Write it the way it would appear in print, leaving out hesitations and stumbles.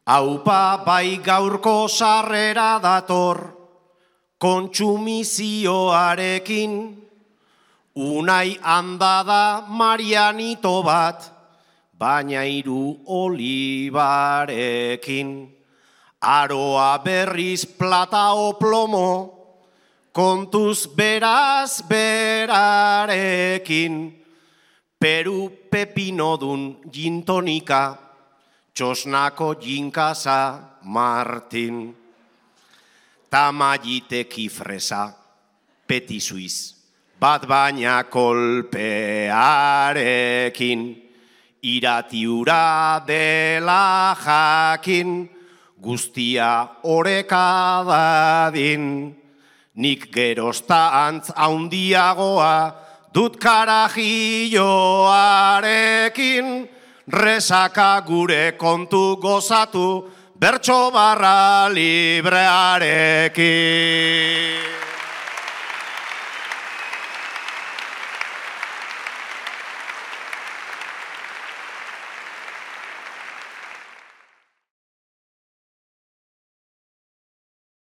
Aupa bai gaurko sarrera dator, kontsumizioarekin, unai handada Marianito bat, baina 3 olibarekin. Aroa berriz plata o plomo, kontuz beraz berarekin. Peru pepinodun gintonika, txosnako jinkasa Martin. Tamayiteki fresa, peti suiz, bat baina kolpearekin. Iratiura dela jakin, guztia oreka dadin. Nik gerozta antz haundiagoa, dut karajilloarekin. Resaka gure kontu gozatu, bertso barra librearekin.